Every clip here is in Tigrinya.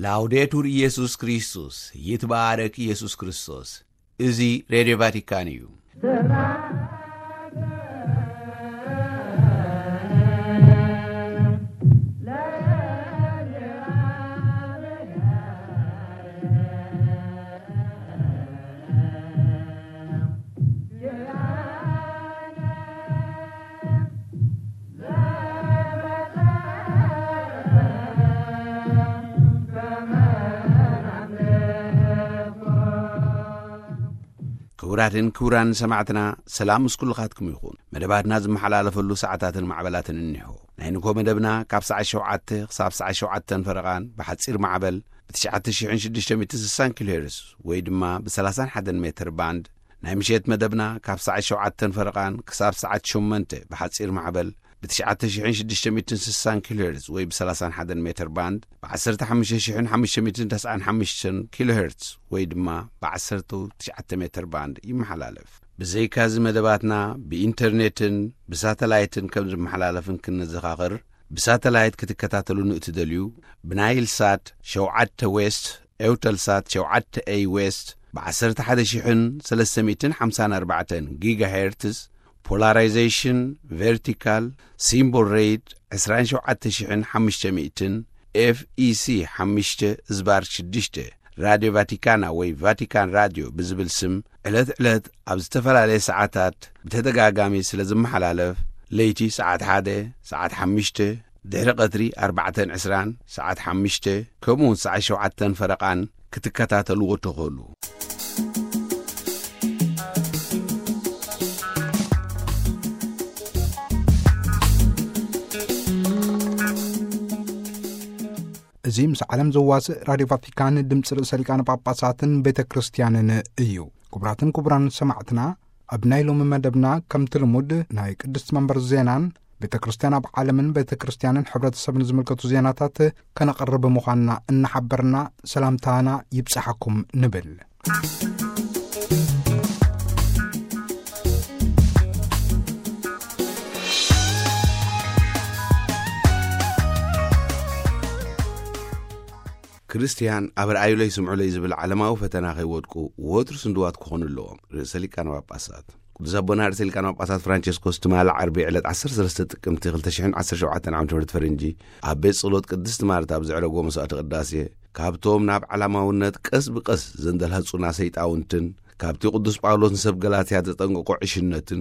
ላውዴቱር ኢየሱስ ክርስቶስ፣ ይትባረክ ኢየሱስ ክርስቶስ። እዚ ሬድዮ ቫቲካን እዩ። ክቡራትን ክቡራን ሰማዕትና፣ ሰላም ምስ ኩልኻትኩም ይኹን። መደባትና ዝመሓላለፈሉ ሰዓታትን ማዕበላትን እኒሆ። ናይ ንግሆ መደብና ካብ ሰዓት ሸውዓተ ክሳብ ሰዓት ሸውዓተን ፈረቓን ብሓጺር ማዕበል ብ ትሽዓተ ሽሕን ሽዱሽተ ሚእትን ስሳን ኪሎ ሄርዝ ወይ ድማ ብ ሰላሳን ሓደን ሜትር ባንድ፣ ናይ ምሸት መደብና ካብ ሰዓት ሸውዓተን ፈረቓን ክሳብ ሰዓት ሸሞንተ ብሓጺር ማዕበል ብ ትሽዓተ ሽሕን ሽዱሽተ ሚእትን ስሳን ኪሎ ሄርዝ ወይ ብ ሰላሳን ሓደን ሜትር ባንድ፣ ብ ዓሰርተ ሓሙሽተ ሽሕን ሓሙሽተ ሚእትን ተስዓን ሓሙሽተን ኪሎ ሄርዝ ወይ ድማ ብ ዓሰርተ ትሽዓተ ሜትር ባንድ ይመሓላለፍ። ብዘይካዚ መደባትና ብኢንተርኔትን ብሳተላይትን ከም ዝመሓላለፍን ክንዘኻኽር፣ ብሳተላይት ክትከታተሉን እትደልዩ፣ ብናይል ሳት ሸውዓተ ዌስት፣ ኤውተል ሳት ሸውዓተ ኤይ ዌስት፣ ብ ዓሰርተ ሓደ ሽሕን ሰለስተ ሚእትን ሓምሳን ኣርባዕተን ጊጋ ሄርትዝ፣ ፖላራይዜሽን ቨርቲካል፣ ሲምቦል ሬት ዕስራን ሸውዓተ ሽሕን ሓሙሽተ ሚእትን፣ ኤፍ ኢ ሲ ሓሙሽተ ዝባር ሽዱሽተ፣ ራድዮ ቫቲካና ወይ ቫቲካን ራድዮ ብዝብል ስም ዕለት ዕለት ኣብ ዝተፈላለየ ሰዓታት ብተደጋጋሚ ስለ ዝመሓላለፍ፣ ለይቲ ሰዓት ሓደ፣ ሰዓት ሓሙሽተ፣ ድሕሪ ቀትሪ ኣርባዕተን ዕስራን፣ ሰዓት ሓሙሽተ፣ ከምኡውን ሰዓት ሸውዓተን ፈረቓን ክትከታተልዎ ትኽእሉ። እዚ ምስ ዓለም ዘዋስእ ራድዮ ቫቲካን ድምፂ ርእሰ ሊቃነ ጳጳሳትን ቤተ ክርስቲያንን እዩ። ክቡራትን ክቡራን ሰማዕትና፣ ኣብ ናይ ሎሚ መደብና ከምቲ ልሙድ ናይ ቅድስቲ መንበር ዜናን ቤተ ክርስቲያን ኣብ ዓለምን ቤተ ክርስቲያንን ሕብረተሰብን ዝምልከቱ ዜናታት ከነቕርብ ምዃንና እናሓበርና ሰላምታና ይብጽሓኩም ንብል። ክርስትያን ኣብ ረኣዩለይ ስምዑለይ ዝብል ዓለማዊ ፈተና ከይወድቁ ወትሩ ስንድዋት ክኾኑ ኣለዎም። ርእሰ ሊቃነ ጳጳሳት ቅዱስ ኣቦና ርእሰ ሊቃነ ጳጳሳት ፍራንቸስኮስ ትማሊ ዓርቢ ዕለት ዓሰርተ ሰለስተ ጥቅምቲ ክልተ ሽሕን ዓሰርተ ሸውዓተን ዓመተ ምህረት ፈረንጂ ኣብ ቤት ጸሎት ቅድስቲ ማርታ ኣብ ዘዕረጎ መስዋዕቲ ቅዳሴ፣ ካብቶም ናብ ዓላማውነት ቀስ ብቀስ ዘንደልሃጹና ሰይጣውንትን ካብቲ ቅዱስ ጳውሎስ ንሰብ ገላትያ ዘጠንቀቆ ዕሽነትን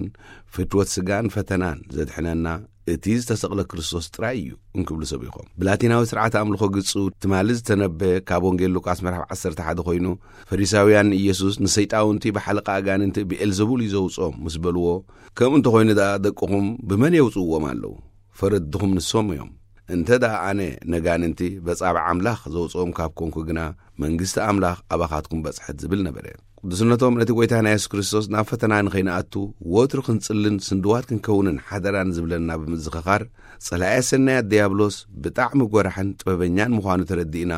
ፍትወት ስጋን ፈተናን ዘድሕነና እቲ ዝተሰቕለ ክርስቶስ ጥራይ እዩ እንክብሉ ሰቢኾም። ብላቲናዊ ስርዓተ ኣምልኾ ግጹ ትማሊ ዝተነበ ካብ ወንጌል ሉቃስ ምዕራፍ ዓሰርተ ሓደ ኮይኑ፣ ፈሪሳውያን ንኢየሱስ ንሰይጣውንቲ ብሓለቃ ኣጋንንቲ ብኤልዘቡል እዩ ዘውጽኦም ምስ በልዎ፣ ከምኡ እንተኾይኑ ደኣ ደቅኹም ብመን የውጽእዎም ኣለዉ? ፈረድኹም ንሶም እዮም። እንተ ደኣ ኣነ ነጋንንቲ በጻብዕ ኣምላኽ ዘውጽኦም ካብ ኮንኩ ግና፣ መንግስቲ ኣምላኽ ኣባኻትኩም በጽሐት ዝብል ነበረ። ቅዱስነቶም ነቲ ጐይታና የሱስ ክርስቶስ ናብ ፈተና ንኸይንኣቱ ወትሩ ክንጽልን ስንድዋት ክንከውንን ሓደራ ንዝብለና ብምዝኽኻር፣ ጸላኢ ሰናያት ድያብሎስ ብጣዕሚ ጐራሕን ጥበበኛን ምዃኑ ተረዲእና፣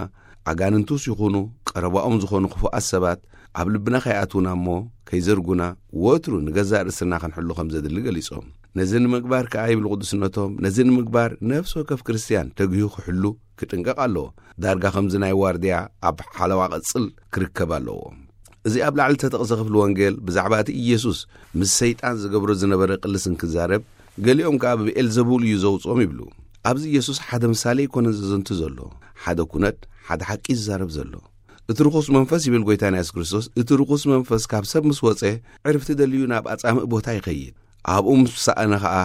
ኣጋንንቱስ ይኹኑ ቀረባኦም ዝኾኑ ክፉኣት ሰባት ኣብ ልብና ከይኣትዉና እሞ ከይዘርጉና ወትሩ ንገዛእ ርእስና ክንሕሉ ከም ዘድሊ ገሊጾም። ነዚ ንምግባር ከኣ ይብሉ ቅዱስነቶም፣ ነዚ ንምግባር ነፍሲ ወከፍ ክርስትያን ተግሂ ክሕሉ ክጥንቀቕ ኣለዎ። ዳርጋ ከምዚ ናይ ዋርድያ ኣብ ሓለዋ ቅጽል ክርከብ ኣለዎ። እዚ ኣብ ላዕሊ ዝተጠቕሰ ክፍሊ ወንጌል ብዛዕባ እቲ ኢየሱስ ምስ ሰይጣን ዝገብሮ ዝነበረ ቅልስ እንክዛረብ፣ ገሊኦም ከኣ ብብኤልዘቡል እዩ ዘውጽኦም ይብሉ። ኣብዚ ኢየሱስ ሓደ ምሳሌ ኣይኮነን ዘዘንቱ ዘሎ፣ ሓደ ኩነት፣ ሓደ ሓቂ እዩ ዝዛረብ ዘሎ። እቲ ርኹስ መንፈስ ይብል ጐይታና የሱስ ክርስቶስ፣ እቲ ርኹስ መንፈስ ካብ ሰብ ምስ ወጸ፣ ዕርፍቲ ደልዩ ናብ ኣጻምእ ቦታ ይኸይድ። ኣብኡ ምስ ሰኣነ ኸኣ፣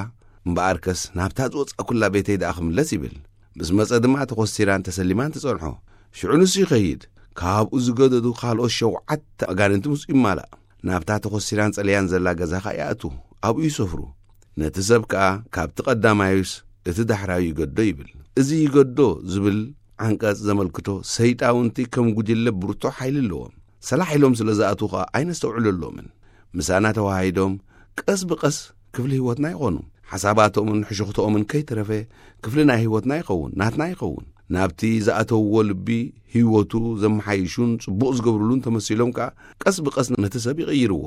እምበኣርከስ ናብታ ዝወጻእኩላ ቤተይ ደኣ ክምለስ ይብል። ምስ መጸ ድማ ተኾሲራን ተሰሊማን ትጸንሖ። ሽዑ ንሱ ይኸይድ፣ ካብኡ ዝገደዱ ካልኦት ሸውዓተ ኣጋንንቲ ምስኡ ይማላእ። ናብታ ተኾሲራን ጸለያን ዘላ ገዛ ኸኣ ይኣትዉ፣ ኣብኡ ይሰፍሩ። ነቲ ሰብ ከኣ ካብቲ ቀዳማዩስ እቲ ዳሕራዩ ይገዶ ይብል። እዚ ይገዶ ዝብል ዓንቀጽ ዘመልክቶ ሰይጣውንቲ ከም ጉጅለ ብርቱዕ ሓይሊ ኣለዎም። ሰላሕ ኢሎም ስለ ዝኣትዉ ኸኣ ኣይነስተውዕለሎምን። ምሳና ተዋሃሂዶም ቀስ ብቐስ ክፍሊ ህይወትና ይኾኑ። ሓሳባቶምን ሕሹኽቶኦምን ከይተረፈ ክፍሊ ናይ ህይወትና ይኸውን፣ ናትና ይኸውን። ናብቲ ዝኣተውዎ ልቢ ህይወቱ ዘመሓይሹን ጽቡቕ ዝገብሩሉን ተመሲሎም ከኣ ቀስ ብቐስ ነቲ ሰብ ይቕይርዎ።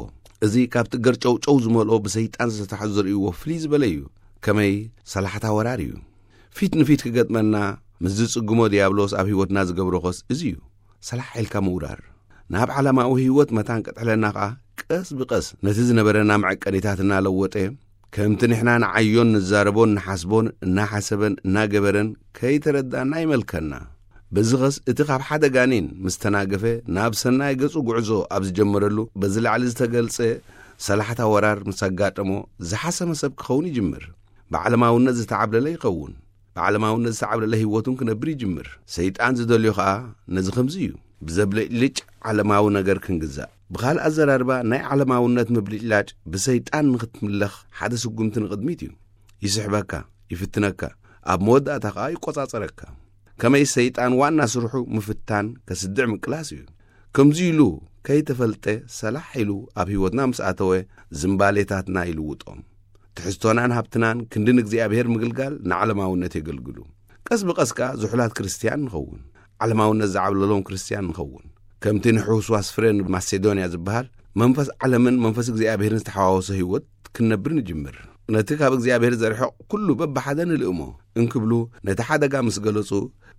እዚ ካብቲ ገርጨውጨው ዝመልኦ ብሰይጣን ዝተታሕዙ ዝርእይዎ ፍልይ ዝበለ እዩ። ከመይ ሰላሕታ ወራር እዩ። ፊት ንፊት ክገጥመና ምስ ዝጽግሞ ዲያብሎስ ኣብ ህይወትና ዝገብሮ ኸስ እዚ እዩ። ሰላሕ ኢልካ ምውራር። ናብ ዓለማዊ ህይወት መታን ቀጥዕለና ኸኣ ቀስ ብቐስ ነቲ ዝነበረና መዐቀኒታት እናለወጠ፣ ከምቲ ንሕና ንዓዮን ንዛረቦን ንሓስቦን እናሓሰበን እናገበረን ከይተረዳእና ይመልከና። በዚ ኸስ እቲ ካብ ሓደ ጋኔን ምስ ተናገፈ ናብ ሰናይ ገጹ ጉዕዞ ኣብ ዝጀመረሉ በዚ ላዕሊ ዝተገልጸ ሰላሕታ ወራር ምስ ኣጋጠሞ ዝሓሰመ ሰብ ክኸውን ይጅምር። ብዓለማውነት ዝተዓብለለ ይኸውን። ብዓለማውነት ዝተዓብለለ ህይወቱን ክነብር ይጅምር። ሰይጣን ዝደልዮ ኸኣ ነዚ ከምዚ እዩ። ብዘብለጭልጭ ዓለማዊ ነገር ክንግዛእ። ብኻልእ ኣዘራርባ ናይ ዓለማውነት ምብልጭላጭ ብሰይጣን ንኽትምለኽ ሓደ ስጉምቲ ንቕድሚት እዩ። ይስሕበካ፣ ይፍትነካ፣ ኣብ መወዳእታ ኸኣ ይቆጻጸረካ። ከመይ ሰይጣን ዋና ስርሑ ምፍታን ከስድዕ ምቅላስ እዩ። ከምዚ ኢሉ ከይተፈልጠ ሰላሕ ኢሉ ኣብ ህይወትና ምስ ኣተወ ዝምባሌታትና ይልውጦም። ትሕዝቶናን ሃብትናን ክንዲ ንእግዚኣብሔር ምግልጋል ንዓለማውነት የገልግሉ። ቀስ ብቐስ ከኣ ዝሑላት ክርስትያን ንኸውን። ዓለማውነት ዝዓብለሎም ክርስትያን ንኸውን። ከምቲ ንሕውስዋስ ፍረ ማሴዶንያ ዝበሃል መንፈስ ዓለምን መንፈስ እግዚኣብሔርን ዝተሓዋወሰ ህይወት ክንነብር ንጅምር። ነቲ ካብ እግዚኣብሔር ዘርሕቕ ኩሉ በብሓደ ንልእሞ እንክብሉ ነቲ ሓደጋ ምስ ገለጹ፣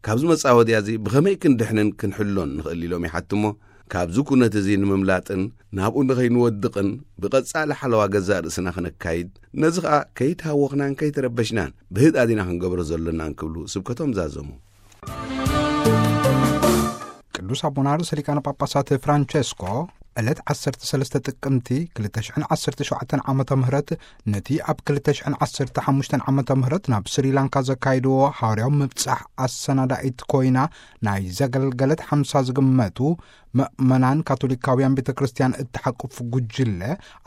ካብዚ መጻወድያ እዚ ብኸመይ ክንድሕንን ክንሕሎን ንኽእል ኢሎም ይሓትሞ። ካብዚ ኩነት እዚ ንምምላጥን ናብኡ ንኸይንወድቕን ብቐጻሊ ሓለዋ ገዛእ ርእስና ክነካይድ፣ ነዚ ኸኣ ከይተሃወኽናን ከይተረበሽናን ብህድኣት ኢና ክንገብሮ ዘሎና እንክብሉ ስብከቶም ዛዘሙ። ቅዱስ ኣቦና ርእሰ ሊቃነ ጳጳሳት ፍራንቸስኮ ዕለት ዓሰርተ ሰለስተ ጥቅምቲ ክልተ ሽሕን ዓሰርተ ሸውዓተን ዓመተ ምህረት ነቲ ኣብ ክልተ ሽሕን ዓሰርተ ሓሙሽተን ዓመተ ምህረት ናብ ስሪላንካ ዘካይድዎ ሃዋርያዊ ምብጻሕ ኣሰናዳኢት ኮይና ናይ ዘገልገለት ሓምሳ ዝግመቱ መእመናን ካቶሊካውያን ቤተ ክርስቲያን እትሓቁፍ ጉጅለ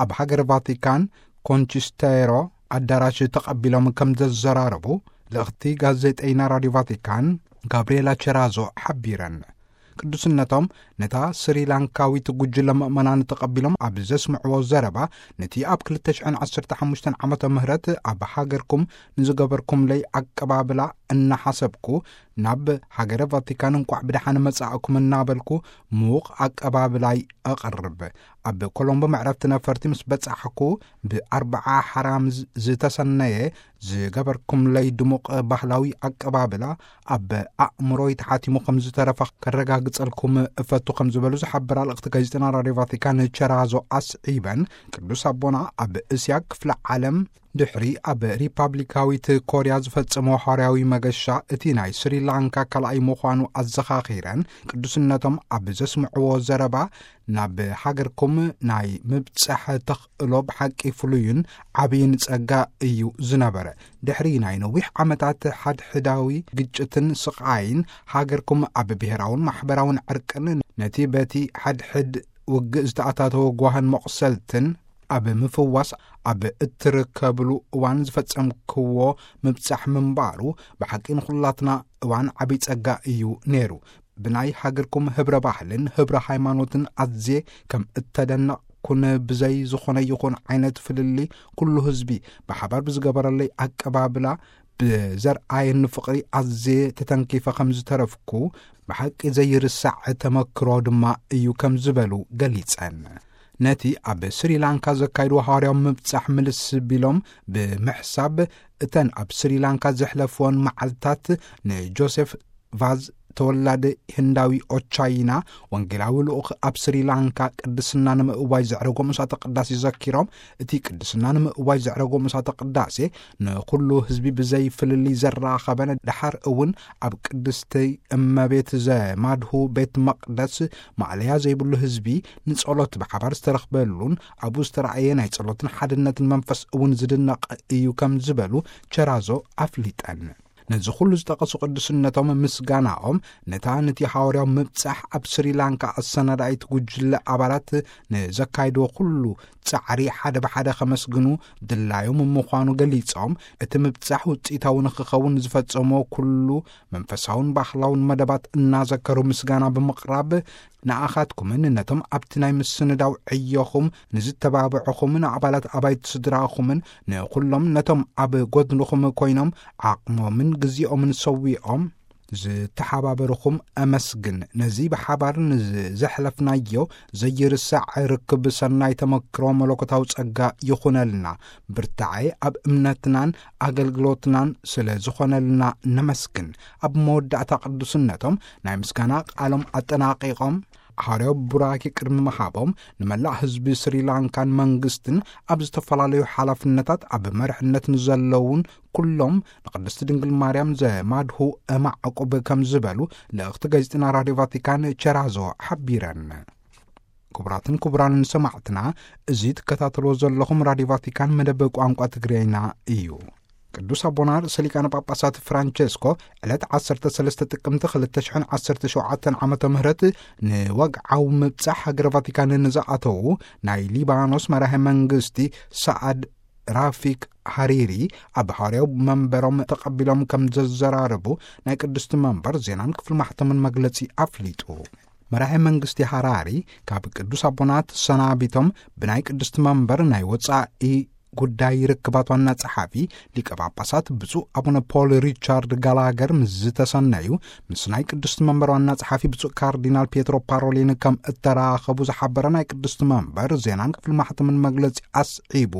ኣብ ሃገር ቫቲካን ኮንቺስቴሮ ኣዳራሽ ተቐቢሎም ከም ዘዘራረቡ ልእኽቲ ጋዜጠይና ራድዮ ቫቲካን ጋብርኤላ ቸራዞ ሓቢረን። ቅዱስነቶም ነታ ስሪላንካዊት ጉጅለ ምእመናን ተቐቢሎም ኣብ ዘስምዕዎ ዘረባ፣ ነቲ ኣብ ክልተ ሽሕን ዓሰርተ ሓሙሽተን ዓመተ ምህረት ኣብ ሃገርኩም ንዝገበርኩምለይ ኣቀባብላ እናሓሰብኩ፣ ናብ ሃገረ ቫቲካን እንቋዕ ብደሓን መጻእኩም እናበልኩ ምዉቕ ኣቀባብላይ ኣቕርብ። ኣብ ኮሎምቦ መዕረፍቲ ነፈርቲ ምስ በጻሕኩ፣ ብኣርብዓ ሓራምዝ ዝተሰነየ ዝገበርኩምለይ ድሙቕ ባህላዊ ኣቀባብላ ኣብ ኣእምሮይ ተሓቲሙ ከም ዝተረፈ ከረጋግጸልኩም እፈቱ ከም ዝበሉ ዝሓበራ ልእኽቲ ጋዜጠና ራድዮ ቫቲካን ቸራዞ ኣስዒበን፣ ቅዱስ ኣቦና ኣብ እስያ ክፍለ ዓለም ድሕሪ ኣብ ሪፓብሊካዊት ኮርያ ዝፈጸሞ ሃዋርያዊ መገሻ እቲ ናይ ስሪላንካ ካልኣይ ምዃኑ ኣዘኻኺረን፣ ቅዱስነቶም ኣብ ዘስምዕዎ ዘረባ ናብ ሃገርኩም ናይ ምብጻሕ ተኽእሎ ብሓቂ ፍሉይን ዓብይን ጸጋ እዩ ዝነበረ። ድሕሪ ናይ ነዊሕ ዓመታት ሓድሕዳዊ ግጭትን ስቓይን፣ ሃገርኩም ኣብ ብሔራውን ማሕበራውን ዕርቅን ነቲ በቲ ሓድሕድ ውግእ ዝተኣታተወ ጓህን መቑሰልትን ኣብ ምፍዋስ ኣብ እትርከብሉ እዋን ዝፈጸምክዎ ምብጻሕ ምንባሩ ብሓቂ ንኹላትና እዋን ዓብይ ጸጋ እዩ ነይሩ። ብናይ ሃገርኩም ህብረ ባህልን ህብረ ሃይማኖትን ኣዝየ ከም እተደነቕኩን ብዘይ ዝኾነ ይኹን ዓይነት ፍልልይ ኩሉ ህዝቢ ብሓባር ብዝገበረለይ ኣቀባብላ ብዘርኣየኒ ፍቕሪ ኣዝየ ተተንኪፈ ከም ዝተረፍኩ ብሓቂ ዘይርሳዕ ተመክሮ ድማ እዩ ከም ዝበሉ ገሊጸን። ነቲ ኣብ ስሪላንካ ዘካይድዎ ሃዋርያዊ ምብጻሕ ምልስ ቢሎም ብምሕሳብ፣ እተን ኣብ ስሪላንካ ዘሕለፍወን መዓልታት ንጆሴፍ ቫዝ ተወላዲ ህንዳዊ ኦቻይና ወንጌላዊ ልኡኽ ኣብ ስሪላንካ ቅድስና ንምእዋይ ዘዕረጎ ምሳተ ቅዳሴ ዘኪሮም፣ እቲ ቅድስና ንምእዋይ ዘዕረጎ ምሳተ ቅዳሴ ንኹሉ ህዝቢ ብዘይ ፍልልይ ዘራኸበን፣ ደሓር እውን ኣብ ቅድስቲ እመቤት ዘማድሁ ቤት መቕደስ ማእለያ ዘይብሉ ህዝቢ ንጸሎት ብሓባር ዝተረኽበሉን ኣብኡ ዝተራእየ ናይ ጸሎትን ሓድነትን መንፈስ እውን ዝድነቕ እዩ ከም ዝበሉ ቸራዞ ኣፍሊጠን። ነዚ ኩሉ ዝጠቐሱ ቅዱስነቶም ምስጋናኦም ነታ ነቲ ሃዋርያዊ ምብጻሕ ኣብ ስሪላንካ ኣሰናዳኢት ጉጅለ ኣባላት ንዘካይድዎ ኩሉ ጻዕሪ ሓደ ብሓደ ከመስግኑ ድላዮም ምዃኑ ገሊጾም፣ እቲ ምብጻሕ ውጽኢታዊ ንኽኸውን ዝፈጸሞ ኩሉ መንፈሳውን ባህላውን መደባት እናዘከሩ ምስጋና ብምቕራብ፣ ንኣኻትኩምን ነቶም ኣብቲ ናይ ምስንዳው ዕዮኹም ንዝተባብዕኹምን ንኣባላት ኣባይቲ ስድራኹምን ንኹሎም ነቶም ኣብ ጎድንኹም ኮይኖም ዓቕሞምን ግዜኦምን ሰዊኦም ዝተሓባበርኹም ኣመስግን። ነዚ ብሓባር ንዘሕለፍናዮ ዘይርሳዕ ርክብ ሰናይ ተመክሮ መለኮታዊ ጸጋ ይኹነልና። ብርታዐ ኣብ እምነትናን ኣገልግሎትናን ስለ ዝኾነልና ነመስግን። ኣብ መወዳእታ ቅዱስነቶም ናይ ምስጋና ቃሎም ኣጠናቒቖም፣ ሓዋርያዊ ቡራኬ ቅድሚ ምሃቦም፣ ንመላእ ህዝቢ ስሪላንካን መንግስትን፣ ኣብ ዝተፈላለዩ ሓላፍነታት ኣብ መርሕነት ንዘለዉን ኩሎም ንቅድስቲ ድንግል ማርያም ዘማድሁ እማዕቁብ ከም ዝበሉ ልእኽቲ ጋዜጠና ራድዮ ቫቲካን ቸራዞ ሓቢረን። ክቡራትን ክቡራንን ሰማዕትና፣ እዚ ትከታተልዎ ዘለኹም ራድዮ ቫቲካን መደብ ቋንቋ ትግርኛ እዩ። ቅዱስ ኣቦና ርእሰ ሊቃነ ጳጳሳት ፍራንቸስኮ ዕለት ዓሰርተ ሰለስተ ጥቅምቲ ክልተ ሽሕን ዓሰርተ ሸውዓተን ዓመተ ምህረት ንወግዓዊ ምብጻሕ ሃገረ ቫቲካን ንዝኣተዉ ናይ ሊባኖስ መራሄ መንግስቲ ሰዓድ ራፊክ ሃሪሪ ኣብ ሃዋርያዊ መንበሮም ተቐቢሎም ከም ዘዘራረቡ ናይ ቅድስቲ መንበር ዜናን ክፍሊ ማሕተምን መግለጺ ኣፍሊጡ። መራሄ መንግስቲ ሃራሪ ካብ ቅዱስ ኣቦና ተሰናቢቶም ብናይ ቅድስቲ መንበር ናይ ወጻኢ ጉዳይ ርክባት ዋና ጸሓፊ ሊቀ ጳጳሳት ብፁዕ ኣቡነ ፖል ሪቻርድ ጋላገር ምስ ዝተሰነዩ፣ ምስ ናይ ቅድስቲ መንበር ዋና ጸሓፊ ብፁዕ ካርዲናል ፒየትሮ ፓሮሊን ከም እተራኸቡ ዝሓበረ ናይ ቅድስቲ መንበር ዜናን ክፍሊ ማሕተምን መግለጺ ኣስዒቡ፣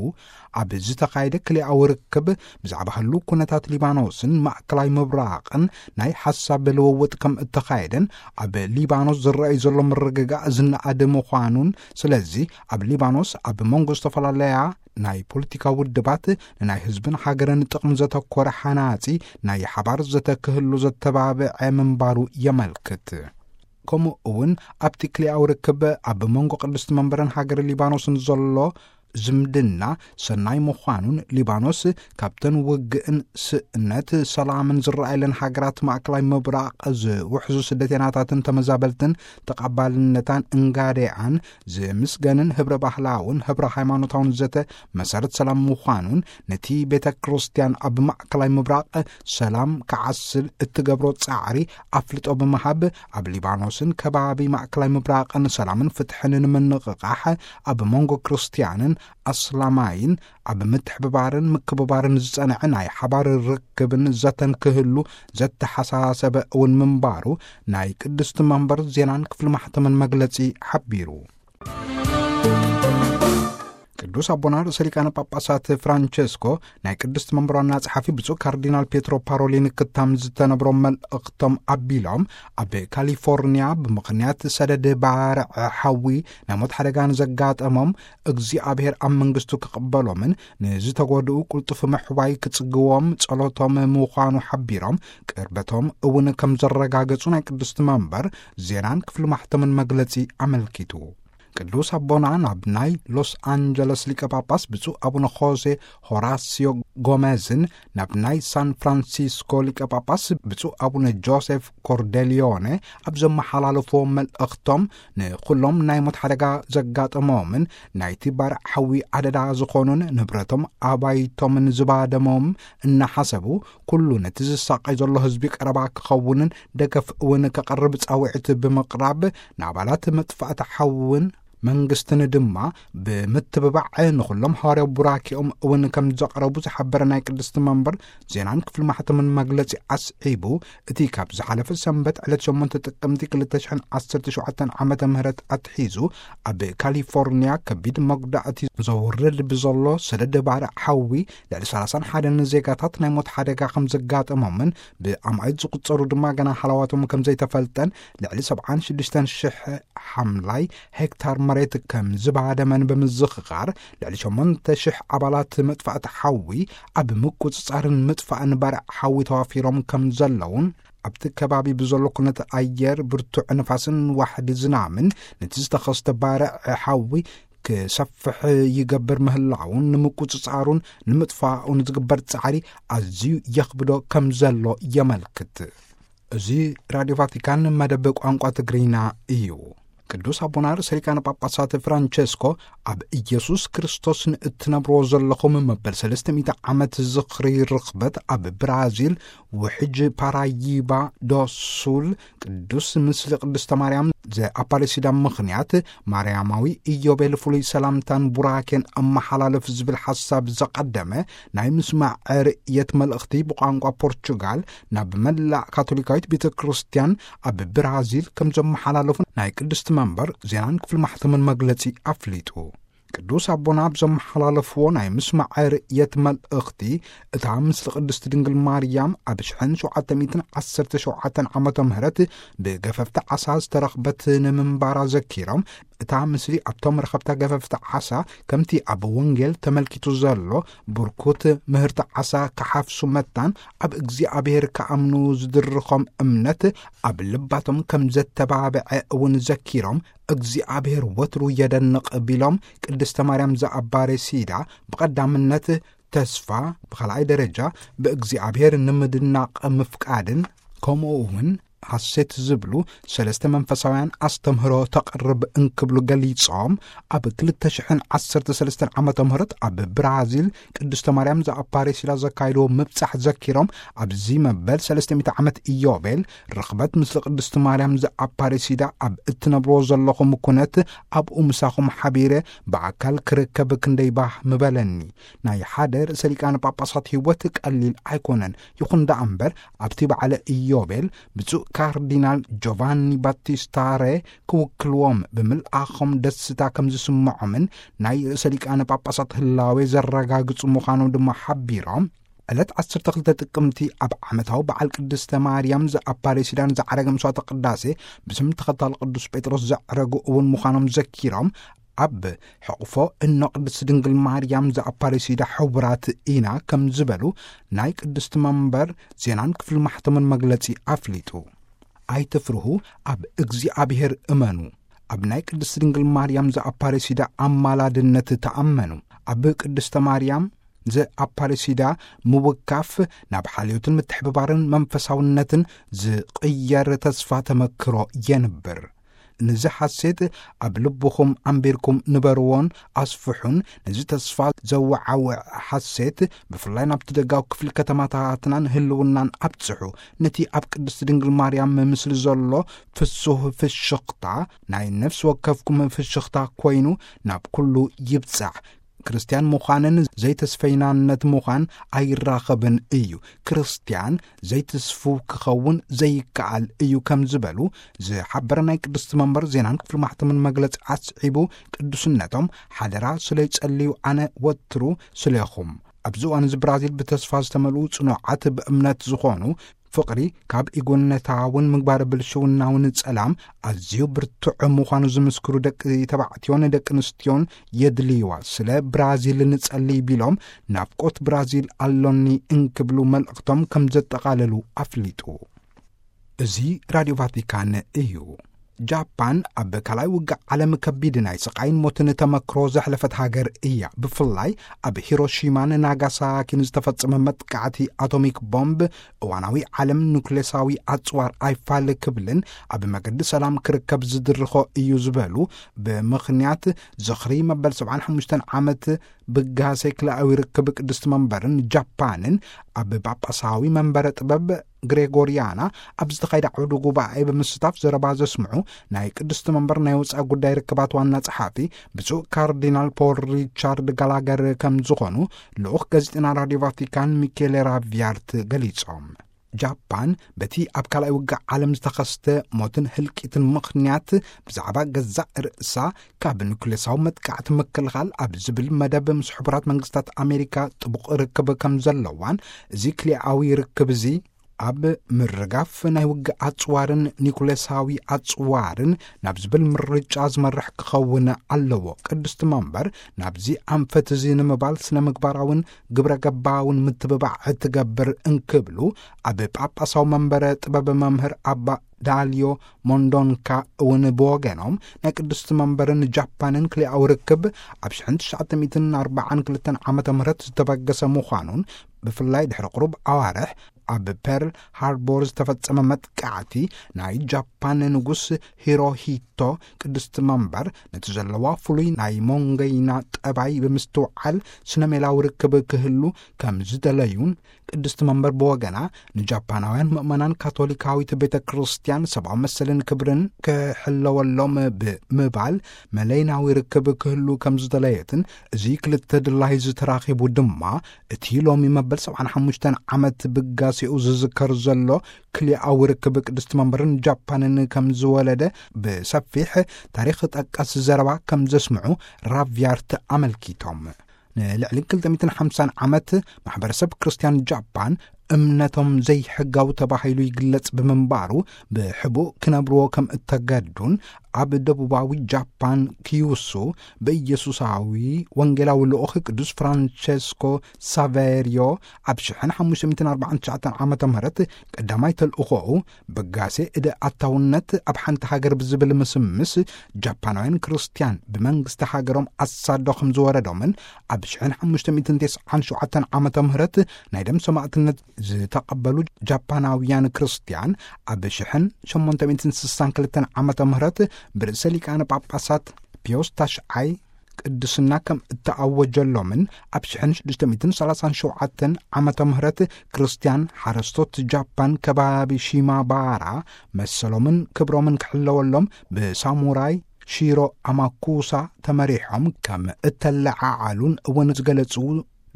ኣብ ዝተኻየደ ክልኣዊ ርክብ ብዛዕባ ህሉው ኩነታት ሊባኖስን ማእከላይ ምብራቕን ናይ ሓሳብ ልውውጥ ከም እተኻየደን፣ ኣብ ሊባኖስ ዝረኣይ ዘሎ ምርግጋእ ዝነኣድ ምዃኑን፣ ስለዚ ኣብ ሊባኖስ ኣብ መንጎ ዝተፈላለያ ናይ ፖለቲካ ውድባት ንናይ ህዝብን ሃገርን ጥቕሚ ዘተኮረ ሓናጺ ናይ ሓባር ዘተ ክህሉ ዘተባብዐ ምንባሩ የመልክት። ከምኡ እውን ኣብቲ ክልኣዊ ርክብ ኣብ መንጎ ቅድስቲ መንበርን ሃገር ሊባኖስን ዘሎ ዝምድና ሰናይ ምዃኑን፣ ሊባኖስ ካብተን ውግእን ስእነት ሰላምን ዝረኣየለን ሃገራት ማእከላይ ምብራቕ ዝውሕዙ ስደተናታትን ተመዛበልትን ተቐባልነታን እንጋዴኣን ዝምስገንን ህብረ ባህላውን ህብረ ሃይማኖታውን ዘተ መሰረት ሰላም ምዃኑን፣ ነቲ ቤተ ክርስቲያን ኣብ ማእከላይ ምብራቕ ሰላም ክዓስል እትገብሮ ጻዕሪ ኣፍልጦ ብምሃብ፣ ኣብ ሊባኖስን ከባቢ ማእከላይ ምብራቕን ሰላምን ፍትሕን ንምንቕቓሕ፣ ኣብ መንጎ ክርስቲያንን ኣስላማይን ኣብ ምትሕብባርን ምክብባርን ዝጸንዐ ናይ ሓባር ርክብን ዘተን ክህሉ ዘተሓሳሰበ እውን ምንባሩ ናይ ቅድስቲ መንበር ዜናን ክፍሊ ማሕተምን መግለጺ ሓቢሩ። ቅዱስ ኣቦና ርእሰ ሊቃነ ጳጳሳት ፍራንቸስኮ ናይ ቅድስቲ መንበር ዋና ጸሓፊ ብፁዕ ካርዲናል ፔትሮ ፓሮሊን ክታም ዝተነብሮም መልእኽቶም ኣቢሎም፣ ኣብ ካሊፎርኒያ ብምኽንያት ሰደድ ባርዕ ሓዊ ናይ ሞት ሓደጋ ንዘጋጠሞም እግዚኣብሔር ኣብ መንግስቱ ክቕበሎምን ንዝተጎድኡ ቅልጡፍ ምሕዋይ ክጽግዎም ጸሎቶም ምዃኑ ሓቢሮም፣ ቅርበቶም እውን ከም ዘረጋገጹ ናይ ቅድስቲ መንበር ዜናን ክፍሊ ማሕተምን መግለጺ ኣመልኪቱ። ቅዱስ ኣቦና ናብ ናይ ሎስ ኣንጀለስ ሊቀ ጳጳስ ብፁዕ ኣቡነ ሆሴ ሆራሲዮ ጎሜዝን ናብ ናይ ሳን ፍራንሲስኮ ሊቀ ጳጳስ ብፁዕ ኣቡነ ጆሴፍ ኮርዴሊዮነ ኣብ ዘመሓላለፍዎ መልእኽቶም፣ ንኹሎም ናይ ሞት ሓደጋ ዘጋጠሞምን ናይቲ ባርዕ ሓዊ ኣደዳ ዝኾኑን ንብረቶም ኣባይቶምን ዝባደሞም እናሓሰቡ፣ ኩሉ ነቲ ዝሳቐይ ዘሎ ህዝቢ ቀረባ ክኸውንን ደገፍ እውን ከቐርብ ጻውዒት ብምቕራብ፣ ንኣባላት መጥፋእቲ ሓውን መንግስትን ድማ ብምትብባዕ ንኹሎም ሃዋርያዊ ቡራኪኦም እውን ከም ዘቕረቡ ዝሓበረ ናይ ቅድስቲ መንበር ዜናን ክፍሊ ማሕተምን መግለጺ ኣስዒቡ፣ እቲ ካብ ዝሓለፈ ሰንበት ዕለት ሸሞንተ ጥቅምቲ ክልተ ሽሕን ዓሰርተ ሸውዓተን ዓመተ ምህረት ኣትሒዙ ኣብ ካሊፎርኒያ ከቢድ መጉዳእቲ ዘውርድ ብዘሎ ሰደድ ባርዕ ሓዊ ልዕሊ ሰላሳን ሓደን ዜጋታት ናይ ሞት ሓደጋ ከም ዘጋጠሞምን ብኣማኢት ዝቑጸሩ ድማ ገና ሃለዋቶም ከም ዘይተፈልጠን፣ ልዕሊ ሰብዓን ሽዱሽተን ሽሕ ሓምላይ ሄክታር መሬት ከም ዝባደመን ብምዝኽኻር፣ ልዕሊ ሸሞንተ ሽሕ ኣባላት መጥፋእቲ ሓዊ ኣብ ምቁጽጻርን ምጥፋእን ባርዕ ሓዊ ተዋፊሮም ከም ዘለውን፣ ኣብቲ ከባቢ ብዘሎ ኩነተ ኣየር ብርቱዕ ንፋስን ዋሕዲ ዝናምን ነቲ ዝተኸስተ ባርዕ ሓዊ ክሰፍሕ ይገብር ምህላውን፣ ንምቁጽጻሩን ንምጥፋኡን ዝግበር ጻዕሪ ኣዝዩ የኽብዶ ከም ዘሎ የመልክት። እዚ ራድዮ ቫቲካን መደብ ቋንቋ ትግርኛ እዩ። ቅዱስ ኣቦና ርእሰ ሊቃነ ጳጳሳት ፍራንቸስኮ ኣብ ኢየሱስ ክርስቶስ ንእትነብርዎ ዘለኹም መበል ሰለስተ ሚእቲ ዓመት ዝኽሪ ርኽበት ኣብ ብራዚል ውሕጅ ፓራይባ ዶ ሱል ቅዱስ ምስሊ ቅድስተ ማርያም ዘኣፓሬሲዳ ምኽንያት ማርያማዊ ኢዮቤል ፍሉይ ሰላምታን ቡራኬን ኣመሓላልፍ ዝብል ሓሳብ ዘቐደመ ናይ ምስማዕ ርእየት መልእኽቲ ብቋንቋ ፖርቹጋል ናብ መላእ ካቶሊካዊት ቤተ ክርስቲያን ኣብ ብራዚል ከም ዘመሓላለፉ ናይ ቅድስቲ መንበር ዜናን ክፍሊ ማሕተምን መግለጺ ኣፍሊጡ። ቅዱስ ኣቦና ኣብ ዘመሓላለፍዎ ናይ ምስማዕ ርእየት መልእኽቲ፣ እታ ምስሊ ቅድስቲ ድንግል ማርያም ኣብ ሽሕን ሸውዓተ ሚእትን ዓሰርተ ሸውዓተን ዓመተ ምህረት ብገፈፍቲ ዓሳ ዝተረኽበት ንምንባራ ዘኪሮም፣ እታ ምስሊ ኣብቶም ረኸብታ ገፈፍቲ ዓሳ ከምቲ ኣብ ወንጌል ተመልኪቱ ዘሎ ብርኩት ምህርቲ ዓሳ ክሓፍሱ መታን ኣብ እግዚኣብሔር ክኣምኑ ዝድርኾም እምነት ኣብ ልባቶም ከም ዘተባብዐ እውን ዘኪሮም፣ እግዚኣብሔር ወትሩ የደንቕ ቢሎም ቅድስተ ማርያም ዘኣባሬሲዳ ብቐዳምነት ተስፋ፣ ብኻልኣይ ደረጃ ብእግዚኣብሔር ንምድናቕ ምፍቃድን ከምኡ እውን ሓሴት ዝብሉ ሰለስተ መንፈሳውያን ኣስተምህሮ ተቕርብ እንክብሉ ገሊጾም፣ ኣብ ክልተ ሽሕን ዓሰርተ ሰለስተን ዓመተ ምህረት ኣብ ብራዚል ቅድስተ ማርያም ዘኣፓሬሲዳ ዘካይድዎ ምብጻሕ ዘኪሮም፣ ኣብዚ መበል ሰለስተ ሚእቲ ዓመት ኢዮቤል ርኽበት ምስለ ቅድስቲ ማርያም ዘኣፓሬሲዳ ኣብ እትነብርዎ ዘለኹም ኩነት ኣብኡ ምሳኹም ሓቢረ ብኣካል ክርከብ ክንደይ ባህ ምበለኒ። ናይ ሓደ ርእሰ ሊቃነ ጳጳሳት ህይወት ቀሊል ኣይኮነን። ይኹን ደኣ እምበር ኣብቲ በዓለ ኢዮቤል ብፁዕ ካርዲናል ጆቫኒ ባቲስታ ሬ ክውክልዎም ብምልኣኾም ደስታ ከም ዝስምዖምን ናይ ርእሰ ሊቃነ ጳጳሳት ህላዌ ዘረጋግጹ ምዃኖም ድማ ሓቢሮም፣ ዕለት ዓሰርተ ክልተ ጥቅምቲ ኣብ ዓመታዊ በዓል ቅድስተ ማርያም ዘኣፓሬሲዳን ዘዓረገ መስዋዕተ ቅዳሴ ብስም ተኸታሊ ቅዱስ ጴጥሮስ ዘዕረጉ እውን ምዃኖም ዘኪሮም፣ ኣብ ሕቕፎ እኖ ቅድስቲ ድንግል ማርያም ዘኣፓሬሲዳ ሕቡራት ኢና ከም ዝበሉ ናይ ቅድስቲ መንበር ዜናን ክፍሊ ማሕተምን መግለጺ ኣፍሊጡ። ኣይትፍርሁ፣ ኣብ እግዚኣብሔር እመኑ። ኣብ ናይ ቅድስቲ ድንግል ማርያም ዘኣፓሬሲዳ ኣማላድነት ተኣመኑ። ኣብ ቅድስተ ማርያም ዘኣፓሬሲዳ ምውካፍ ናብ ሓልዮትን ምትሕብባርን መንፈሳውነትን ዝቕየር ተስፋ ተመክሮ የንብር። ነዚ ሓሴት ኣብ ልብኹም ኣንቢርኩም ንበርዎን ኣስፍሑን። ነዚ ተስፋ ዘወዓውዕ ሓሴት ብፍላይ ናብቲ ደጋዊ ክፍሊ ከተማታትናን ህልውናን ኣብጽሑ። ነቲ ኣብ ቅድስቲ ድንግል ማርያም ምስሊ ዘሎ ፍሱህ ፍሽኽታ ናይ ነፍሲ ወከፍኩም ፍሽኽታ ኮይኑ ናብ ኩሉ ይብጻሕ። ክርስትያን ምዃንን ዘይተስፈይናነት ምዃን ኣይራኸብን እዩ። ክርስትያን ዘይትስፉ ክኸውን ዘይከኣል እዩ ከም ዝበሉ ዝሓበረ ናይ ቅድስቲ መንበር ዜናን ክፍሊ ማሕተምን መግለጺ ኣስዒቡ፣ ቅዱስነቶም ሓደራ ስለ ይጸልዩ ኣነ ወትሩ ስለኹም። ኣብዚ እዋን እዚ ብራዚል ብተስፋ ዝተመልኡ ጽኑዓት ብእምነት ዝኾኑ ፍቕሪ ካብ ኢጎነታውን ምግባር ብልሽውናውን ጸላም ኣዝዩ ብርቱዕ ምዃኑ ዝምስክሩ ደቂ ተባዕትዮን ደቂ ኣንስትዮን የድልይዋ። ስለ ብራዚል ንጸሊ ቢሎም ናፍቆት ብራዚል ኣሎኒ እንክብሉ መልእኽቶም ከም ዘጠቓለሉ ኣፍሊጡ። እዚ ራድዮ ቫቲካን እዩ። ጃፓን ኣብ ካልኣይ ውግእ ዓለም ከቢድ ናይ ስቓይን ሞትን ተመክሮ ዘሕለፈት ሃገር እያ። ብፍላይ ኣብ ሂሮሺማን ናጋሳኪን ዝተፈጸመ መጥቃዕቲ ኣቶሚክ ቦምብ እዋናዊ ዓለም ኑክሌሳዊ ኣጽዋር ኣይፋል ክብልን ኣብ መገዲ ሰላም ክርከብ ዝድርኾ እዩ ዝበሉ ብምኽንያት ዝኽሪ መበል ሰብዓን ሓሙሽተን ዓመት ብጋሴ ክልኣዊ ርክብ ቅድስቲ መንበርን ጃፓንን ኣብ ጳጳሳዊ መንበረ ጥበብ ግሬጎሪያና ኣብ ዝተኻየደ ዓውደ ጉባኤ ብምስታፍ ዘረባ ዘስምዑ ናይ ቅድስቲ መንበር ናይ ወፃኢ ጉዳይ ርክባት ዋና ጸሓፊ ብፁዕ ካርዲናል ፖል ሪቻርድ ጋላገር ከም ዝኾኑ ልኡኽ ጋዜጠና ራድዮ ቫቲካን ሚኬሌ ራቪያርት ገሊጾም። ጃፓን በቲ ኣብ ካልኣይ ውግእ ዓለም ዝተኸስተ ሞትን ህልቂትን ምኽንያት ብዛዕባ ገዛእ ርእሳ ካብ ኑክሌሳዊ መጥቃዕቲ ምክልኻል ኣብ ዝብል መደብ ምስ ሕቡራት መንግስታት ኣሜሪካ ጥቡቕ ርክብ ከም ዘለዋን፣ እዚ ክልኣዊ ርክብ እዚ ኣብ ምርጋፍ ናይ ውግእ ኣጽዋርን ኒኩሌሳዊ ኣጽዋርን ናብ ዝብል ምርጫ ዝመርሕ ክኸውን ኣለዎ። ቅድስቲ መንበር ናብዚ ኣንፈት እዚ ንምባል ስነ ምግባራውን ግብረ ገባውን ምትብባዕ እትገብር እንክብሉ ኣብ ጳጳሳዊ መንበረ ጥበብ መምህር ኣባ ዳልዮ ሞንዶንካ እውን ብወገኖም ናይ ቅድስቲ መንበርን ጃፓንን ክልኣዊ ርክብ ኣብ ሽሕን ትሽዓተ ሚእትን ኣርባዓን ክልተን ዓመተ ምህረት ዝተበገሰ ምዃኑን ብፍላይ ድሕሪ ቁሩብ ኣዋርሕ ኣብ ፐርል ሃርቦር ዝተፈጸመ መጥቃዕቲ፣ ናይ ጃፓን ንጉስ ሂሮሂቶ ቅድስቲ መንበር ነቲ ዘለዋ ፍሉይ ናይ ሞንገይና ጠባይ ብምስትውዓል፣ ስነ ሜላዊ ርክብ ክህሉ ከም ዝደለዩን፣ ቅድስቲ መንበር ብወገና ንጃፓናውያን ምእመናን ካቶሊካዊት ቤተ ክርስቲያን ሰብኣዊ መሰልን ክብርን ክሕለወሎም ብምባል፣ መለይናዊ ርክብ ክህሉ ከም ዝደለየትን፣ እዚ ክልተ ድላይ ዝተራኺቡ ድማ እቲ ሎሚ መበል ሰብዓን ሓሙሽተን ዓመት ብጋሴኡ ዝዝከር ዘሎ ክልኣዊ ርክብ ቅድስቲ መንበርን ጃፓንን ከም ዝወለደ ብሰፊሕ ታሪኽ ጠቀስ ዘረባ ከም ዘስምዑ ራቪያርት ኣመልኪቶም። ንልዕሊ ክልተ ሚእትን ሓምሳን ዓመት ማሕበረሰብ ክርስቲያን ጃፓን እምነቶም ዘይሕጋዊ ተባሂሉ ይግለጽ ብምንባሩ፣ ብሕቡእ ክነብርዎ ከም እተገዱን፣ ኣብ ደቡባዊ ጃፓን ኪዩሱ ብኢየሱሳዊ ወንጌላዊ ልኡኽ ቅዱስ ፍራንቸስኮ ሳቬርዮ ኣብ ሽሕን ሓሙሽተ ሚእትን ኣርባዓን ትሽዓተን ዓመተ ምህረት ቀዳማይ ተልእኾኡ በጋሴ እደ ኣታውነት ኣብ ሓንቲ ሃገር ብዝብል ምስምስ፣ ጃፓናውያን ክርስትያን ብመንግስቲ ሃገሮም ኣሳዶ ከም ዝወረዶምን፣ ኣብ ሽሕን ሓሙሽተ ሚእትን ተስዓን ሸውዓተን ዓመተ ምህረት ናይ ደም ሰማዕትነት ዝተቐበሉ ጃፓናውያን ክርስትያን፣ ኣብ ሽሕን ሸሞንተ ሚእትን ስሳን ክልተን ዓመተ ምህረት ብርእሰ ሊቃነ ጳጳሳት ፒዮስ ታሽዓይ ቅድስና ከም እተኣወጀሎምን፣ ኣብ ሽሕን ሽዱሽተ ሚእትን ሰላሳን ሸውዓተን ዓመተ ምህረት ክርስትያን ሓረስቶት ጃፓን ከባቢ ሺማባራ መሰሎምን ክብሮምን ክሕለወሎም ብሳሙራይ ሺሮ ኣማኩሳ ተመሪሖም ከም እተለዓዓሉን እውን ዝገለጹ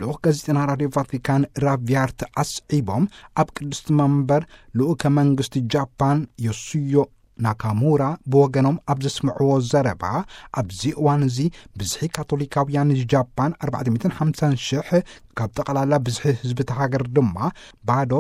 ልኡኽ ጋዜጠና ራድዮ ቫቲካን ራቪያርት ኣስዒቦም፣ ኣብ ቅድስቲ መንበር ልኡከ መንግስቲ ጃፓን ዮሱዮ ናካሙራ ብወገኖም ኣብ ዘስምዕዎ ዘረባ፣ ኣብዚ እዋን እዚ ብዝሒ ካቶሊካውያን ጃፓን ኣርባዕተ ሚእትን ሓምሳን ሽሕ፣ ካብ ጠቕላላ ብዝሒ ህዝቢ እቲ ሃገር ድማ ባዶ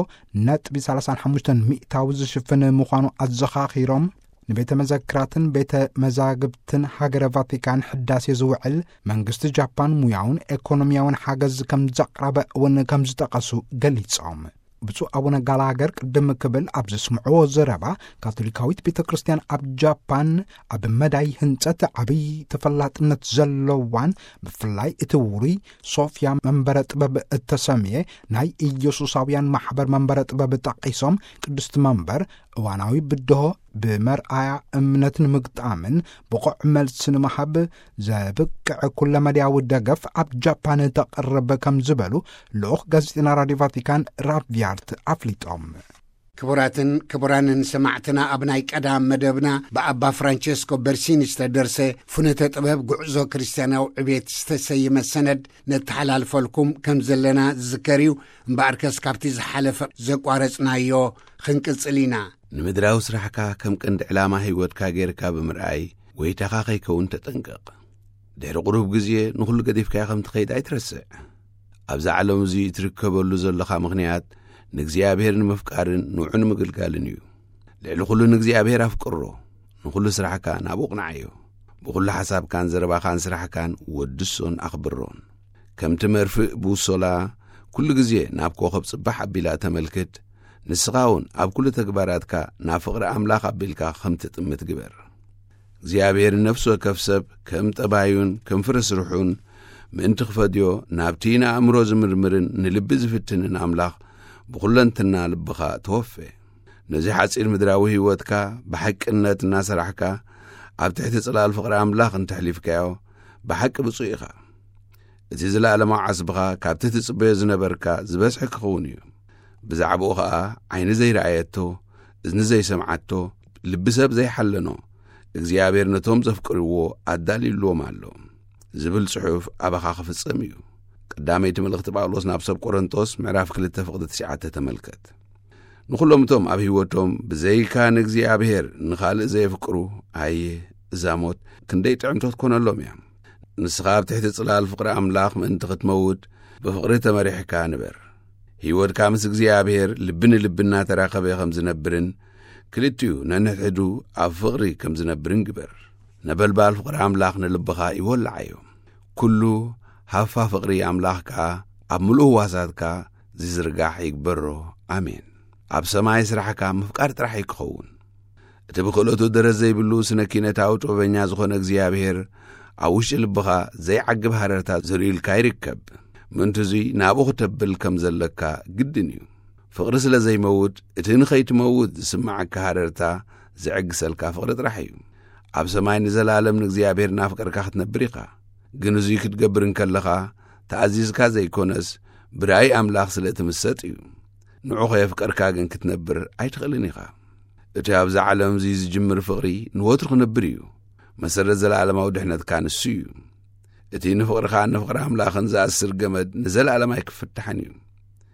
ነጥቢ ሰላሳን ሓሙሽተን ሚእታዊ ዝሽፍን ምዃኑ ኣዘኻኺሮም፣ ንቤተ መዘክራትን ቤተ መዛግብትን ሃገረ ቫቲካን ሕዳሴ ዝውዕል መንግስቲ ጃፓን ሙያውን ኤኮኖሚያውን ሓገዝ ከም ዘቕረበ እውን ከም ዝጠቐሱ ገሊጾም። ብፁዕ ኣቡነ ጋላገር ቅድም ክብል ኣብ ዘስምዕዎ ዘረባ፣ ካቶሊካዊት ቤተ ክርስቲያን ኣብ ጃፓን ኣብ መዳይ ህንጸት ዓብዪ ተፈላጥነት ዘለዋን፣ ብፍላይ እቲ ውሩይ ሶፍያ መንበረ ጥበብ እተሰምየ ናይ ኢየሱሳውያን ማሕበር መንበረ ጥበብ ጠቒሶም፣ ቅድስቲ መንበር እዋናዊ ብድሆ ብመርኣያ እምነት ንምግጣምን ብቑዕ መልሲ ንምሃብ ዘብቅዕ ኩለመዳያዊ ደገፍ ኣብ ጃፓን ተቕርብ ከም ዝበሉ ልኡኽ ጋዜጠና ራድዮ ቫቲካን ራቪያርት ኣፍሊጦም። ክቡራትን ክቡራንን ሰማዕትና፣ ኣብ ናይ ቀዳም መደብና ብኣባ ፍራንቸስኮ በርሲኒ ዝተደርሰ ፍኖተ ጥበብ ጉዕዞ ክርስትያናዊ ዕቤት ዝተሰየመ ሰነድ ነተሓላልፈልኩም ከም ዘለና ዝዝከር እዩ። እምበኣርከስ ካብቲ ዝሓለፈ ዘቋረጽናዮ ክንቅጽል ኢና። ንምድራዊ ስራሕካ ከም ቀንዲ ዕላማ ህይወትካ ጌርካ ብምርኣይ፣ ጎይታኻ ከይከውን ተጠንቀቕ። ድሕሪ ቁሩብ ግዜ ንኹሉ ገዲፍካዮ ከም ትኸይድ ኣይትረስዕ። ኣብዛ ዓለም እዚ እትርከበሉ ዘለኻ ምኽንያት ንእግዚኣብሔር ንምፍቃርን ንውዑ ንምግልጋልን እዩ። ልዕሊ ኩሉ ንእግዚኣብሔር ኣፍቅሮ፣ ንኹሉ ስራሕካ ናብኡ ቅንዓዮ። ብኹሉ ሓሳብካን ዘረባኻን ስራሕካን ወድሶን ኣኽብሮን። ከምቲ መርፍእ ቡሶላ ኩሉ ግዜ ናብ ኮኸብ ጽባሕ ኣቢላ ተመልክት፣ ንስኻ እውን ኣብ ኩሉ ተግባራትካ ናብ ፍቕሪ ኣምላኽ ኣቢልካ ከም ትጥምት ግበር። እግዚኣብሔር ንነፍሲ ወከፍ ሰብ ከም ጠባዩን ከም ፍረ ስርሑን ምእንቲ ክፈድዮ፣ ናብቲ ንኣእምሮ ዝምርምርን ንልቢ ዝፍትንን ኣምላኽ ብኹለንትና ልብኻ ተወፌ። ነዚ ሓጺር ምድራዊ ህይወትካ ብሓቅነት እናሰራሕካ፣ ኣብ ትሕቲ ጽላል ፍቕሪ ኣምላኽ እንተሕሊፍካዮ፣ ብሓቂ ብፁዕ ኢኻ። እቲ ዘለኣለማዊ ዓስብኻ ካብቲ ትጽበዮ ዝነበርካ ዝበዝሐ ክኸውን እዩ። ብዛዕባኡ ኸኣ ዓይኒ ዘይረኣየቶ፣ እዝኒ ዘይሰምዓቶ፣ ልቢ ሰብ ዘይሓለኖ፣ እግዚኣብሔር ነቶም ዘፍቅርዎ ኣዳልዩልዎም ኣሎ ዝብል ጽሑፍ ኣባኻ ክፍጸም እዩ። ቀዳመይቲ መልእኽቲ ጳውሎስ ናብ ሰብ ቆሮንቶስ ምዕራፍ ክልተ ፍቕዲ ትሽዓተ ተመልከት። ንኹሎም እቶም ኣብ ህይወቶም ብዘይካ ንእግዚኣብሔር ንኻልእ ዘየፍቅሩ፣ ኣየ እዛ ሞት ክንደይ ጥዕምቶ ትኮነሎም እያ። ንስኻ ኣብ ትሕቲ ጽላል ፍቕሪ ኣምላኽ ምእንቲ ክትመውት ብፍቕሪ ተመሪሕካ ንበር። ህይወትካ ምስ እግዚኣብሔር ልቢ ንልቢ እናተራኸበ ከም ዝነብርን ክልቲኡ ነንሕድሕዱ ኣብ ፍቕሪ ከም ዝነብርን ግበር። ነበልባል ፍቕሪ ኣምላኽ ንልብኻ ይወልዓዮ። ኩሉ ሃፋ ፍቕሪ ኣምላኽ ከኣ ኣብ ምሉእ ህዋሳትካ ዝዝርጋሕ ይግበሮ። ኣሜን። ኣብ ሰማይ ስራሕካ ምፍቃር ጥራሕ እዩ ክኸውን። እቲ ብክእለቱ ደረት ዘይብሉ ስነ ኪነታዊ ጥበበኛ ዝኾነ እግዚኣብሔር ኣብ ውሽጢ ልብኻ ዘይዓግብ ሃረርታ ዘርእዩልካ ይርከብ። ምእንቲ እዙይ ናብኡ ክተብል ከም ዘለካ ግድን እዩ። ፍቕሪ ስለ ዘይመውት፣ እቲ ንኸይትመውት ዝስምዓካ ሃረርታ ዝዕግሰልካ ፍቕሪ ጥራሕ እዩ። ኣብ ሰማይ ንዘለኣለም ንእግዚኣብሔር እናፍቀርካ ክትነብር ኢኻ። ግን እዙይ ክትገብር እንከለኻ፣ ተኣዚዝካ ዘይኮነስ፣ ብራእይ ኣምላኽ ስለ እትምሰጥ እዩ። ንዑ ኸየፍቀርካ ግን ክትነብር ኣይትኽእልን ኢኻ። እቲ ኣብዛ ዓለም እዚ ዝጅምር ፍቕሪ ንወትሩ ክንብር እዩ። መሰረት ዘለኣለማዊ ድሕነትካ ንሱ እዩ። እቲ ንፍቕርኻን ንፍቕሪ ኣምላኽን ዝኣስር ገመድ ንዘለኣለም ኣይክፍታሕን እዩ።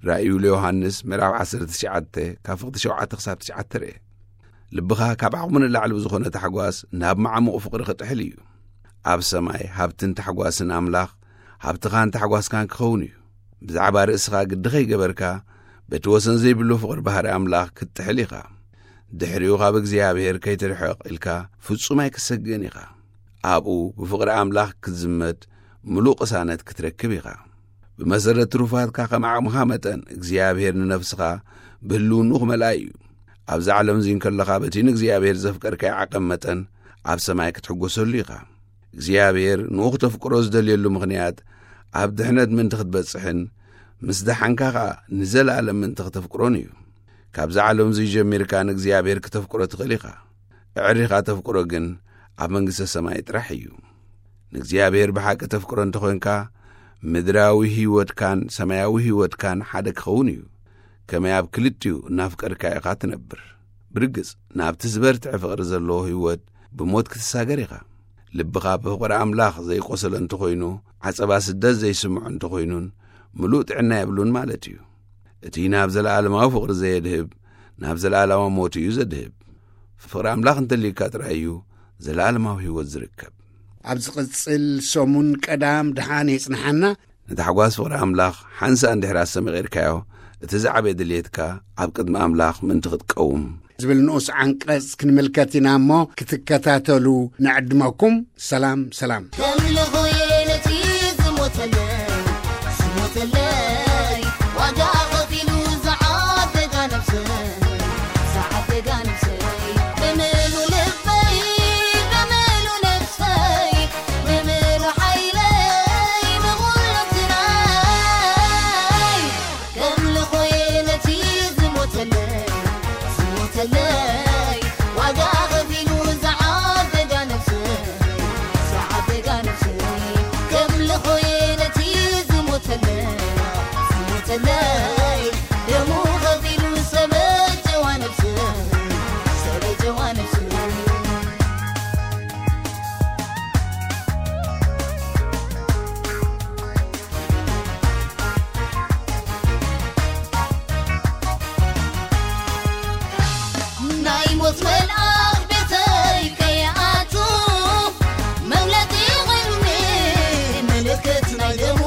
ራእዩ ለዮሃንስ ምዕራፍ ዓሰርተ ትሽዓተ ካብ ፍቕዲ ሸውዓተ ክሳብ ትሽዓተ ርኤ። ልብኻ ካብ ዓቕሙ ንላዕሊ ብዝኾነ ታሕጓስ ናብ መዓሙቕ ፍቕሪ ክጥሕል እዩ። ኣብ ሰማይ ሃብትን ታሕጓስን ኣምላኽ ሃብትኻን ታሕጓስካን ክኸውን እዩ። ብዛዕባ ርእስኻ ግዲ ኸይገበርካ፣ በቲ ወሰን ዘይብሉ ፍቕሪ ባህሪ ኣምላኽ ክትጥሕል ኢኻ። ድሕሪኡ ካብ እግዚኣብሔር ከይትርሕቕ ኢልካ ፍጹም ኣይክሰግእን ኢኻ። ኣብኡ ብፍቕሪ ኣምላኽ ክትዝመድ ምሉእ ቅሳነት ክትረክብ ኢኻ። ብመሰረት ትሩፋትካ ከም ዓቕምኻ መጠን እግዚኣብሔር ንነፍስኻ ብህልውንኡ ክመልኣ እዩ። ኣብዛ ዓለም እዚ እንከለኻ በቲ ንእግዚኣብሔር ዘፍቀርካዮ ዓቐን መጠን ኣብ ሰማይ ክትሕጎሰሉ ኢኻ። እግዚኣብሔር ንኡ ክተፍቅሮ ዝደልየሉ ምኽንያት ኣብ ድሕነት ምእንቲ ክትበጽሕን ምስ ደሓንካ ኸኣ ንዘለኣለም ምእንቲ ክተፍቅሮን እዩ። ካብዛ ዓለም እዚ ጀሚርካ ንእግዚኣብሔር ክተፍቅሮ ትኽእል ኢኻ። ኣዕሪኻ ተፍቅሮ ግን ኣብ መንግስተ ሰማይ ጥራሕ እዩ። ንእግዚኣብሔር ብሓቂ ተፍቅሮ እንተኾንካ፣ ምድራዊ ህይወትካን ሰማያዊ ህይወትካን ሓደ ክኸውን እዩ። ከመይ ኣብ ክልቲኡ እናፍቀርካ ኢኻ ትነብር። ብርግጽ፣ ናብቲ ዝበርትዐ ፍቕሪ ዘለዎ ህይወት ብሞት ክትሳገር ኢኻ። ልብኻ ብፍቕሪ ኣምላኽ ዘይቆሰለ እንተኾይኑ፣ ዓጸባ ስደት ዘይስምዖ እንተኾይኑን፣ ምሉእ ጥዕና የብሉን ማለት እዩ። እቲ ናብ ዘለኣለማዊ ፍቕሪ ዘየድህብ፣ ናብ ዘለኣለማዊ ሞት እዩ ዘድህብ። ፍቕሪ ኣምላኽ እንተልዩካ ጥራይ እዩ ዘለኣለማዊ ህይወት ዝርከብ። ኣብ ዝቕጽል ሰሙን ቀዳም ደሓን የጽንሓና። ንታሕጓስ ፍቕሪ ኣምላኽ ሓንሳእ እንድሕር ኣስተመቒርካዮ፣ እቲ ዝዓበየ ድልየትካ ኣብ ቅድሚ ኣምላኽ ምእንቲ ክትቀውም ዝብል ንኡስ ዓንቀጽ ክንምልከት ኢና እሞ፣ ክትከታተሉ ንዕድመኩም። ሰላም፣ ሰላም። ከምልኾ ነቲ ዝሞተለይ፣ ዝሞተለይ፣ ዋጋ ከፊሉ ዝዓደጋ ነፍሰይ፣ ዝዓደጋ ነፍሰይ፣ ብምሉ ልበይ፣ ብምሉ ነፍሰይ፣ ብምሉ ሓይለይ፣ ብኹሉ ግናይ፣ ከምልኾ ነቲ ዝሞተለይ፣ ዝሞተለይ፣ ዋጋ ከፊሉ ዝዓደጋ ነፍሰይ፣ ዝዓደጋ ነፍሰይ፣ ከምልኾ ነቲ ዝሞተለይ፣ ዝሞተለይ፣ ደሙ ከፊሉ ዝተበጀዋ ነፍሰይ፣ ዝተበጀዋ ነፍሰይ። ናይ ሞት መልኣኽ ቤተይ ከይኣቱ፣ መምለጢ ኾይኑኒ ምልክት ናይ ደሙ፣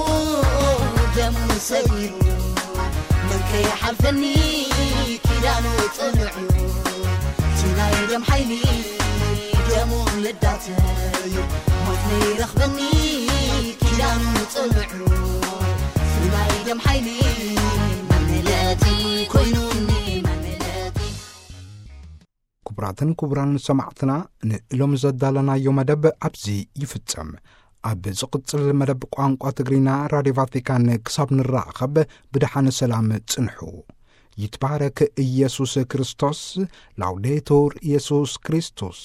ደሙ ሰጊሩ መን ከይሓልፈኒ ኪዳኑ ጽኑዕ እዩ። እቲ ናይ ደም ሓይሊ ደሙ ልዳተይ ሞት ነይረኽበኒ ኪዳኑ ጽኑዕ እዩ። እቲ ናይ ደም ሓይሊ መምለጢ ኮይኑኒ መምለጢ። ክቡራትን ክቡራን ሰማዕትና፣ ንሎም ዘዳለናዮ መደብ ኣብዚ ይፍጸም። ኣብ ዝቕጽል መደብ ቋንቋ ትግርኛ ራድዮ ቫቲካን ክሳብ ንራኸብ ብደሓን ሰላም ጽንሑ። ይትባረክ ኢየሱስ ክርስቶስ። ላውዴቱር ኢየሱስ ክርስቶስ።